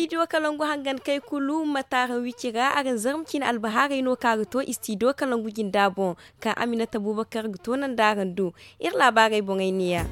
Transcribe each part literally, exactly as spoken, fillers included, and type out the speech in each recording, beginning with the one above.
Istidiyo kalangu hangan kay kulu ma taara wici ra araŋ zarma ciine albahaarey no kaŋ a ga to istidiyo kalangu jinda boŋ, kaŋ aminata bubakar ga to nanda araŋ do. Iri laabaarey boŋey neeya.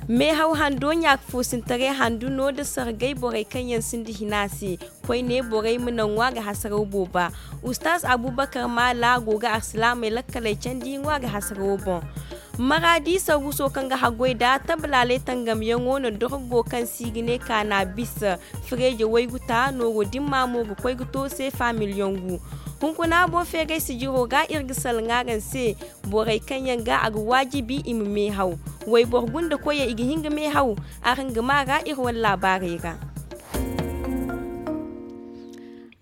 Meehaw hando ɲaaka foosintaray handu no nda sargay borey kaŋ yaŋ sinda hina se. Koyne borey ma naŋ ŋwa ga hasaraw booba. Ustaaz abubakar maala go ga arsilaamey lakkaley candi ŋwa ga hasarawo boŋ. Maraadi saruuso kaŋ ga haggoy nda tabalaaley tangamyaŋo na dorgo kaŋ se i ga ne kaana bisa fireeje waygu ta nooru dimma mo ga koy ga to seefa miliyoŋ gu. Hunkuna boŋ feeray sijiro ga iri ga salaŋ araŋ se. Borey kaŋ yaŋ ga a ga waajibi i ma meehaw. Wayboro gunda koyey i ga hin ga meehaw. Araŋ ga maa ra iri wane laabaarey ra.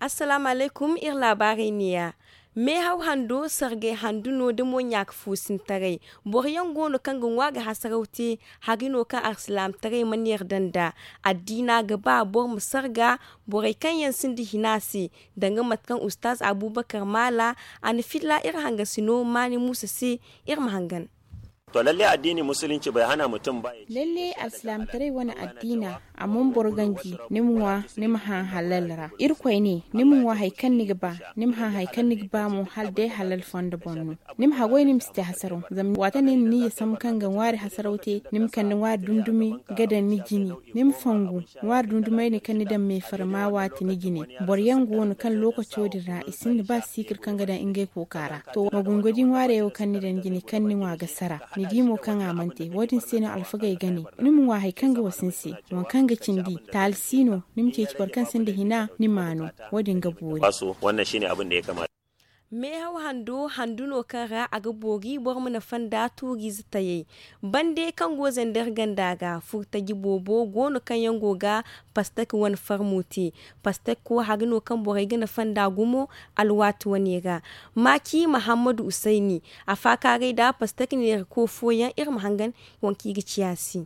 Assalaamu alaykum, iri laabaarey neeya. Meehaw hando sargay handu no da mo ɲaaka foosintaray. Boro yaŋ go no kaŋ ga ŋwa ga hasaraw te. Hari no kaŋ arsilaamataray mana yarda nd'a. Addiina ga ba boro ma sarga borey kaŋ yaŋ sinda hina se. Danga mate kaŋ ustaaz abubakar maala a na filla iri hangasino maani muusa se. Iri ma hangan. To lalle addiini musulunci bai hana mutum ba ya ci. Lalle alsilaamataray wane addiina a mana boro ganji. Ni ma ŋwa ni ma hã halal ra. Irkoy ne ni ma ŋwa hari kaŋ ni ga ba. Ni ma hã hari kaŋ ni ga ba mo hala day halal fondo boŋ no. Ni ma haggoy ni ma si te hasaraw zama waati kaŋ ni na niyya sambu kaŋ ga ŋwaari hasaraw te. Ni ma kande ŋwaari dumi-dumi ga daŋ ni jine. Ni ma fongu ŋwaari dumi-dumey din kaŋ ni daŋ meefarma waati ni jine. Boro yaŋ go no kaŋ lookaco din ra i sinda ba siikir kaŋ ga daŋ ngey kooka ra. To ma gungo di ŋwaarey wo kaŋ ni daŋ jine kaŋ ni ŋwa ga sara. Ni di mo kaŋ a mana te wo- din se no alfagey ga ne ni ma ŋwa hari kaŋ ga wasa ni se. Waŋ kaŋ ga cindi taali si no. Ni ma ceeci boro kaŋ sinda hina ni ma no. Wo- din ga boori. Meehaw hando handu no kaŋ ra a ga boori boro ma nafa nda tuuriize tayey. Bande kaŋ go zandar ganda ga furtaji boobo go no kaŋ yaŋ go ga pastak wane farmo te. Pastak wo hari no kaŋ borey ga nafa nda gumo. Alwaati wane ra maaci mahammadu usayni a faakaaray nda pastak neerako fooyaŋ iri ma hangan. Waŋ kaŋ i ga ciya se.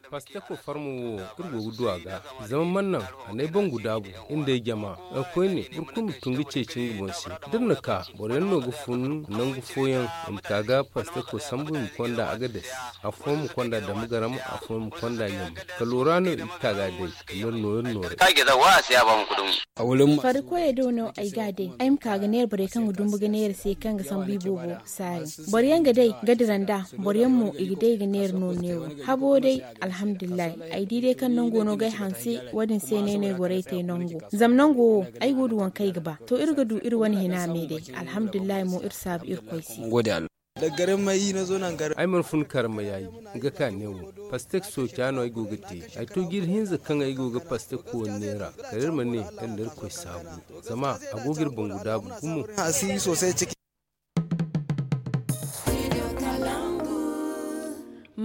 Pastekko farmo wo iri go ga du a ga. Zama mana naŋ a n'ay bangu daabu. Iri nd'ay jama nga koyne boro kulu ma tun ga ceeci nga boŋ se. Da iri na ka boro yaŋ no ga fun nangu fooyaŋ i ma ka ga pastekko sambu i ma konda agades. Afooyaŋ ma konda damagaram afooyaŋ ma konda ɲambu. Kala wora no i ga ka ga day. Iri no iri no. Farikoyey do no ay ga a day ay ma ka ga neera borey kaŋ ga dumbu ga neera se kaŋ ga sambu i boobo saari. Boro yaŋ ga day ga dira nda boro yaŋ mo i ga day ga neera no neewo. Habo day alhamdulillahi. Ay di day kaŋ nango no ga ay hanse. Wo- din se no ay ne ay gorey te nango zama nango wo ay go ga du waŋ kaŋ ay ga ba. To iri ga du iri wane hina me day. Alhamdulillahi mo iri saabu irkoy se. Ay mana fun karma yaayi. Nga ka neewo pastek sooca no ay go ga te. Ay to jiiri hinza kaŋ ay go ga pastek koone neera kala iri ma ne iri nda irkoy saabu. Zama a go ga iri bangu daabu gumo.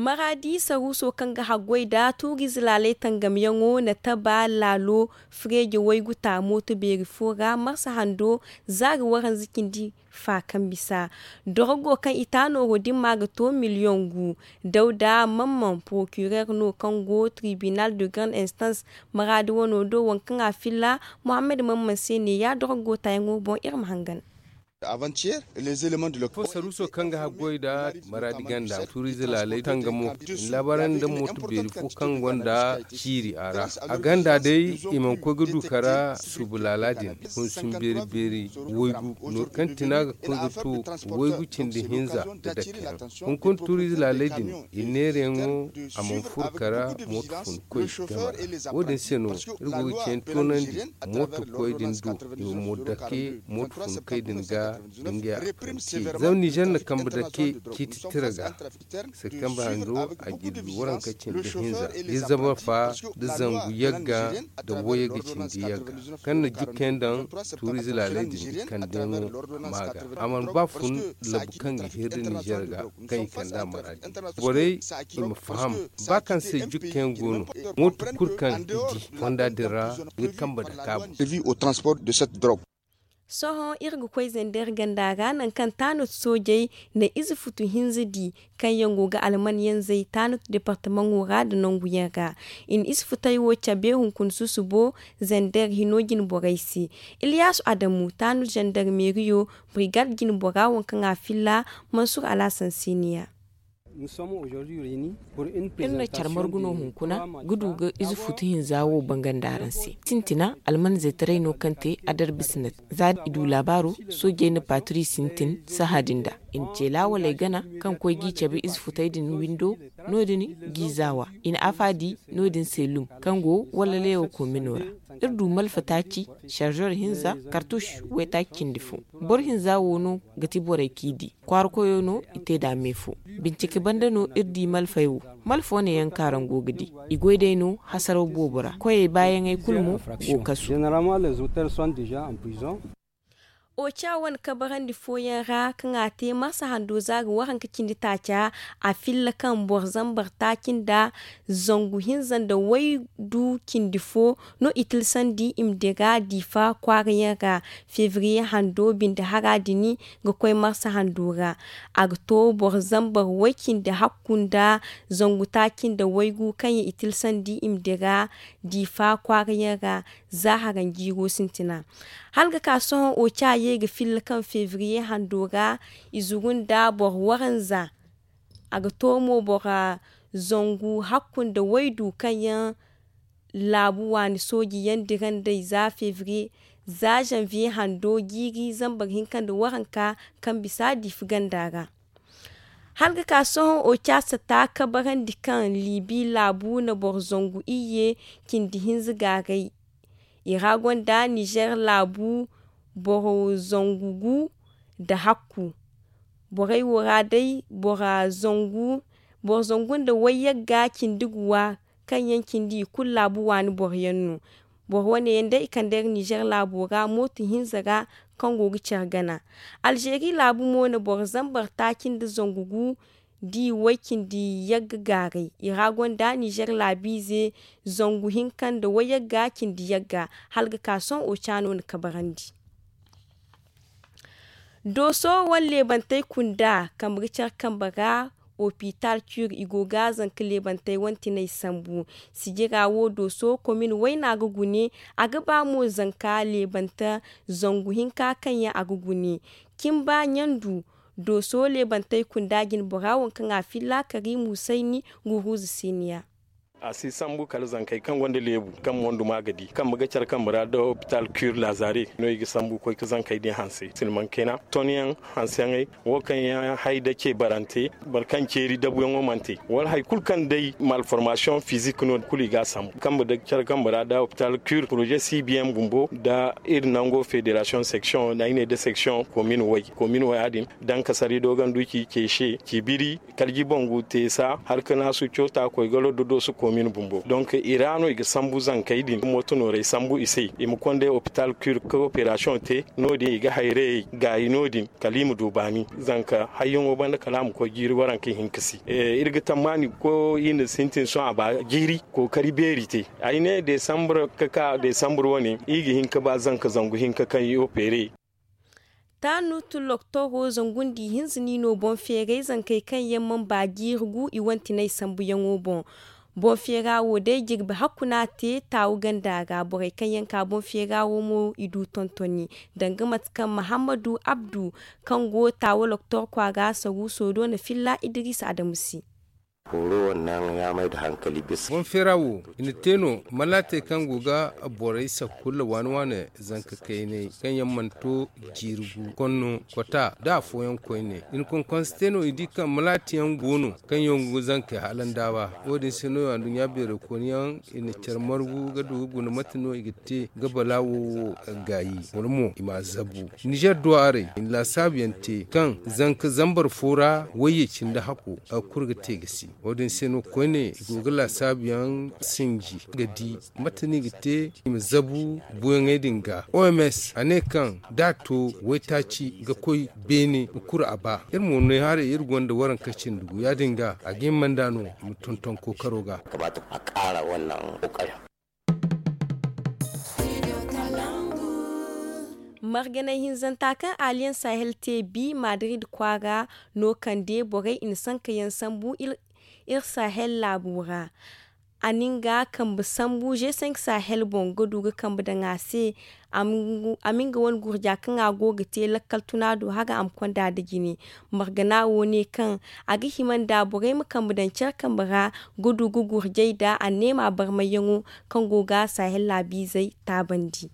Maraadi saruuso kaŋ ga haggoy nda tuuriize laaley tangamyaŋo na taba laalo fireeje waygu ta mooto beeri fo ra marsa hando zaari waranza cindi fa kaŋ bisa. Dorogo kaŋ i ta nooro dimma ga to miliyoŋ gu. Dawda mamman porokirer no kaŋ go tribinal de grande instance maraadi wano do waŋ kaŋ a filla. Muhammad mamman se ne ya dorogo tayaŋo boŋ iri ma hangan. Fo saruuso kaŋ ga haggoy nda maraadi ganda tuuriize laaley tangamo i na laabaarandi nda mooto beeri fo kaŋ gonda ciiri a ra. A ganda day i mana koy ga du kara suubu laala din. Hunsun beeri beeri waygu nooru kaŋ tina ga koy ga to waygu cindi hinza nda dakka yaŋ. Hunkuna tuuriize laaley din i neerayaŋo a mana furo kara mooto fun koy game ra. Wo- din se no iri go ga cine toonandi mooto koy din do i ma mo dake mooto fun koy din ga. Nga apprenti zama nizer na kambe dake ciiti tira ga. Septembre hanjo a jirbi waranka cindi hinza da zama fa da zangu yagga da wayagga cindi yagga kaŋ na jukkayaŋ daŋ tuuriize laaley din kande no. Maaga a mana ba fun labu kaŋ ga hiri nizer ga kaŋ i kand'a maraadi borey i ma faham ba kaŋ se jukkayaŋ go no. Mooto kulu kaŋ i di fonda din ra ga kambe dake a boŋ. Sohõ iri ga koy zender ganda ra nangu kaŋ taanut soojey na ize futu hinza di kaŋ yaŋ go ga alman yanzey taanut departamaŋo ra nda nangu yaŋ ra. I na ize futey wo cabe hunkuna susubo zender hino jine borey se. Ilyasu adamu taanut zender meeriyo brigad jine bora waŋ kaŋ a filla mansur alhasan se ne ya. Iri na care margu no hunkuna ga du ga ize futu hinza wo bangandi araŋ se. Sintina almanzey taray no kaŋ te a dar bisnat za i du laabaaro. Soojey na paaturi sintin sahã din da i na ce laawaley gana kaŋ koy g'i cabe ize futey din windo. No- din g'i zaawa i na afa di no- din se lum kaŋ go walla leewo komino ra. Iri du malfa taaci, sarzor hinza, kartuš waytaaci cindi fo. Boro hinza wo no ga ti borey k'i di. Kwaara koyo no i te nd'a me fo. Bincike banda no iri di malfey wo. Malfo ne yaŋ kaarango ga di. I goy day no hasaraw boobo ra koyey baayaŋey kulu mo go kasu. Oca wane kabarandi fooyaŋ ra kaŋ a te marsa hando za ga waranka cindi taaca. A filla kaŋ boro zambar taaci nda zangu hinza nda waydu cindi fo no i tilsandi i ma dira diifa kwaarayaŋ ra. Febriye hando binde hara din ga koy marsa hando ra. A ga to boro zambar way cindi hakku nda zangu taaci nda waygu kaŋ yaŋ i tilsandi i ma dira diifa kwaarayaŋ ra. Za haranjiiro sintina hala ga ka sohõ oca ye ga filla kaŋ febriye hando ra i zuru nda boro waranza. A ga to mo bora zangu hakku nda waydu kaŋ yaŋ laabu waani sooji yaŋ dira nd'ey za febriye za zanviye hando jiiri zambar hinka nda waranka kaŋ bisa diifa ganda ra. Hala ga ka sohõ oca sata kabarandi kaŋ liibi laabu na boro zangu iyye cindi hinza gaaray. I ra gonda nizer laabu boro zangu gu nda hakku. Borey wo ra day boro zangu nda wayyagga cindi guwa kaŋ yaŋ cindi i kulu laabu waani boro yaŋ no. Boro wane yaŋ day i kande iri nizer laabo ra mooto hinza ra kaŋ go ga care gana. Alzeeri laabu mo na boro zambar taaci nda zangu gu da i way cindi yagga gaaray i ra gonda nizer laabiize zangu hinka nda wayagga cindi yagga. Hala ga ka sohõ ocaano na kabarandi. Dooso wane leebantey kunda kambe ga care kambe ra. Opital cur i go ga zanka leebantey wane tinay sambu. Sijira wo dooso komin wayna ga gune. A ga ba mo zanka leebanta zangu hinka kaŋ yaŋ a ga gune. Cimba ɲandu dooso leebantey kunda jine bora waŋ kaŋ a filla karimu sayni guruuza siniya. A si sambu kala zankey kaŋ gonda leebu kaŋ mondu ma ga di kambe ga care kambe ra da opital cur lazare no i ga sambu koy ga zankey din hanse silmankena tonyaŋ hanseyaŋey wo kaŋ yaŋ hay da ce barante boro kaŋ ceeri dabuyaŋo mana te wala hari kulu kaŋ day malformasiyoŋ fizik no kulu i ga a sambu kambe da care kambe ra da opital cur poroze cbm bumbo da iri nango federasiyoŋ seksiyoŋ da i ne da seksiyoŋ komin way komin way ya- din daŋ kasari doganduci ceese cibiri kalji bangu teesa har ka naasu coota koy galo dodosu komin bumbo donk i ra no i ga sambu zankey din mooto noorey sambu i se i ma konday opital cur ka operasiyoŋ te no- din i ga hayrayey gaayi no- din kala i ma du baani zanka hayyaŋo banda kala a ma koy jiiri waranka hinka si iri ga tammaani ga koy i na sintin sohõ a ba jiiri kookari beeri te ay ne desambur ka ka desambur wane i ga hin ka ba zanka zangu hinka kaŋ i opere. Taanu tulloktoro zangundi hinza ni no boŋ feeray zankey kaŋ yaŋ mana ba jiiri gu i wantinay sambuyaŋo boŋ. Boŋ feera wo day jirbi hakku no a te taawu ganda ra borey kaŋ yaŋ ka boŋ feera wo mo i du tontoni danga mate kaŋ mahammadu abdu kaŋ go taawu loktor kwaara saruuso do na filla idiriisa adamu se. Boŋ feera wo i na te no malaatey kaŋ go ga borey sakkulla waani waani zanka kayney kaŋ yaŋ mana to jiiri gu konno kota nda afooyaŋ koyne i na konkonse te no i di kaŋ malaati yaŋ go no kaŋ yaŋ go ga zankey hala ndaawa. Wo- din se no anduɲɲa beerey kooni yaŋ i na care margu ga du ga guna mate no i ga te ga balaawo wo gaayi boro mo i m'a zabu. Nizer duwarey i na laasaabu yaŋ te kaŋ zanka zambar fo ra wayye cindi hakko a ga kuru ga te ga si. Wo- din se no koyne i go ga laasaabu yaŋ sinji ga di mate no i ga te i ma zabu buuyaŋey din ga oms a ne kaŋ da a to waytaaci ga koy beene ga kuru a ba. Iri mo no haray iri gonda waranka cindi gu ya- din ga a ga hima nda no i ma tonton kookaro ga. Marganay hinzanta kaŋ aliyan sahel te bi madrid kwaara no kande borey i na sanka yaŋ sambu iri sahel laabo ra. a na nga kambe sambu g cinq sahel boŋ ga du ga kambe daŋ a se. A ma nga wane gurja kaŋ a go ga te lakkal tuna do haga a ma konda nda jine. Margana wo ne kaŋ a ga hima nda borey ma kambe daŋ care kambe ra ga du ga gurjay nda anneema barmayyaŋo kaŋ go ga sahel laabiizey taabandi.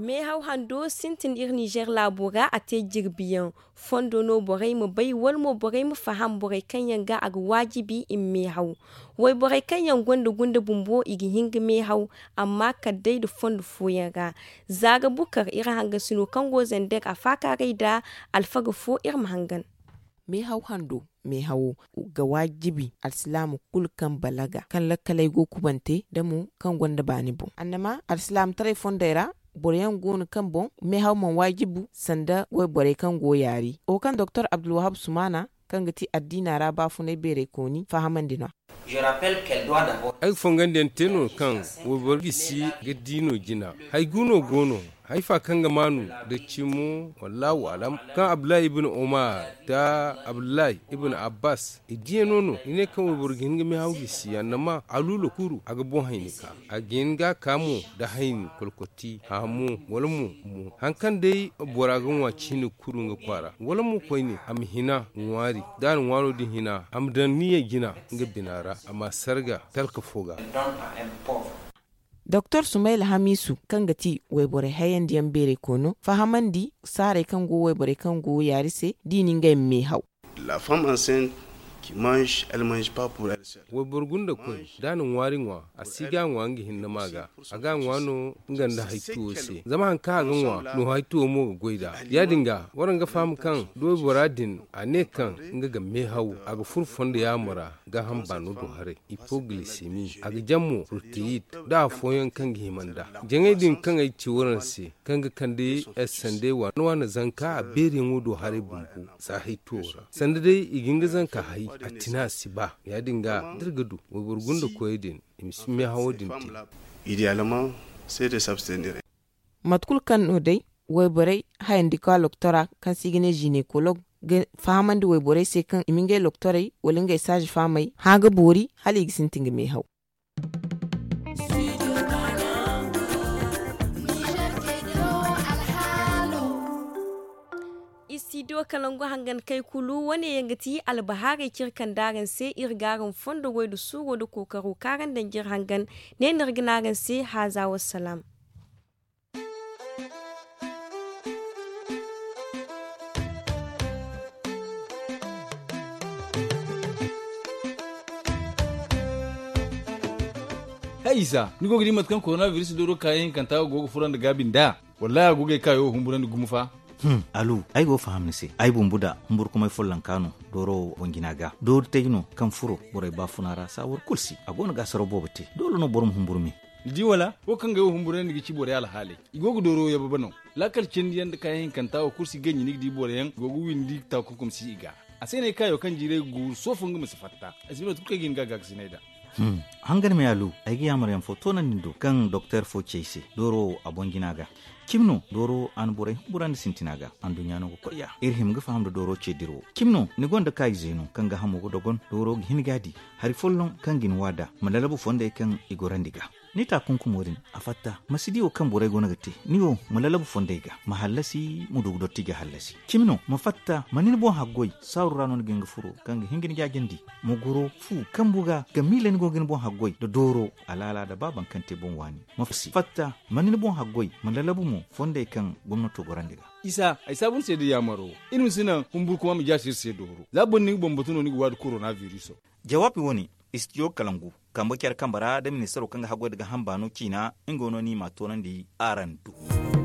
Meehaw hando sintin iri ninzeer laabo ra a te jirbiyaŋ. Fondo no borey ma bay wala mo borey ma faham borey kaŋ yaŋ ga a ga waajibi i ma meehaw. Wayborey kaŋ yaŋ gonda gunda bumbo i ga hin ga meehaw. Amma kala day nda fondo fooyaŋ ra. Za ga bukar iri hangasino kaŋ go zander a faakaaray nda alfaga fo iri ma hangan. Meehaw hando meehawo ga waajibi alsilaama kulu kaŋ balaga kaŋ lakkaley go kubante nda mo kaŋ gonda baani boŋ annama alsilaamataray fondey ra. Boro yaŋ go no kaŋ boŋ meehaw mana waajibu sanda wayborey kaŋ go yaari wo kaŋ doktor abdulwahab sumaana kaŋ ga ti addiina ra baafunay beeraykooni fahamandi no. Ay ga fongandiyaŋ te no kaŋ wayboro gisi ga di no jina. Hay gu no go no. Haifa kaŋ ga maanu nda cimo wallahu alam kaŋ abdullahi ibn umar nda abdullahi ibn abbas i diyano no i ne kaŋ wayboro ga hin ga meehaw gisi annama aluula kuru a ga boŋ hayni ka a ga hin ga a ka mo nda hayni kolkoti haamo wala mo mo hari kaŋ day bora ga ŋwa ciine kuru nga kwaara wala mo koyne a ma hina ŋwaari da a na ŋwaaro din hina a ma daŋ niya jina nga bina ra a ma a sarga talka fo ga. Doktor sumayla hamiisu kaŋ ga ti wayborey hayandiyaŋ beeray koono fahamandi saarey kaŋ go wayborey kaŋ go yaari se da i na ngey ma meehaw. Wayboro gunda koy da a na ŋwaari ŋwa a si ga a ŋwa nga hinne ma ga a ga a ŋwa no nga nda haytuwo se zama hari kaŋ a ga ŋwa no haytuwo mo ga goy nd'a. Ya-din ga waraŋ ga faham kaŋ da waybora din a ne kaŋ nga ga meehaw a ga furo fondo yaamo ra gaaham baano do haray. Hipoglisemi a ga jaŋ mo proteyid nda afooyaŋ kaŋ ga hima nd'a jaŋey din kaŋ ay ci waraŋ se kaŋ ga kande sandey waana waana zanka a beeriyaŋo do haray bumbo. Za haytuwo ra sanda day i ga hin ga zanka hay a tina a si ba. Ya-din ga da iri ga du wayboro gunda koyey din i ma si meehawo din te. Mate kulu kaŋ no day wayborey hayandi ka loktora kaŋ se i ga ne zinekoloog ga fahamandi wayborey se kaŋ i ma ngey loktorey wala ngey saaza fahamey hã ga boori hala i ga sintin ga meehaw. Istidiyo kalangu hangan kay kulu wane yaŋ ga ti albahaarey kaŋ iri kande araŋ se iri ga araŋ fondo goy nda suuro nda kookaro kaŋ araŋ daŋ ga iri hangan. Ne no iri ga ne araŋ se haaza wassalaam. Hay isa ni go ga di mate kaŋ korona biris dooro kaayaŋ hinkanta go ga furandi gaabi nd'a? Wallahi a go ga ay kaayo humburandi gumo fa. Alu, ay go ga faham ni se. Ay bumbu da humburkumay follonka no dooro wo boŋ jina ga doori tay no kaŋ furo borey baafuna ra saawar kulu se a go no ga asaraw boobo te. Doole no boro ma humburu me. Ni di wala wo kaŋ ga ay wo humburandi ga ci borey alhaaley. I go ga dooro yababa no. Laakal cindi yaŋ nda kaayaŋ hinkanta wo kulu si ganji ni ga di boro yaŋ go ga windi taakunkum si i ga. A se no ay kaayo kaŋ jiiray ga guuru soofo nga ma si fatta. Ay si bay mate kulu kaŋ ay ga hin ga a gaakasinay nd'a. Hangan me alu, ay ga yaamar yaŋ fo toonandi ni do kaŋ doktor fo ci ay se dooro wo a boŋ jina ga. Cimi no dooro wo a na borey humburandi sintina ga. Anduɲɲa no ga koy ya iri hima ga faham nda dooro ce dira wo. Cimi no ni gonda kaayize no kaŋ gaahamo ga dogon dooro ga hin ga a di hari folloŋ kaŋ ga ni wa nd'a ma lalabu fondey kaŋ i gorandi ga. Ni taakunkumo din a fatta ma si di wo kaŋ borey go no ga te. Ni wo ma lalabu fondey ga ma hallasi ma du ga dotti ga hallasi. Cimi no ma fatta ma ni ni boŋ haggoy saaru ra no ni ga hin ga furo kaŋ ga hin ga ni jaajandi. Ma goro fu kambu ga ga miila ni go ga ni boŋ haggoy nda dooro alaala nda ba baŋ kaŋ te boŋ waani. Ma fatta ma ni ni boŋ haggoy ma lalabu mo fondey kaŋ gomnato gorandi ga. Isa ay saabu ni se da yaamaro iri ma si naŋ humburkuma ma jaasi iri se dooro za boro ni ga boŋ batu no ni ga waadi korona viriso. Jawaabi wo-ne istidiyo kalangu kambe care kambe ra da ministaro kaŋ ga haggoy nda gaaham baano ciina nga no ni m'a toonandi araŋ do.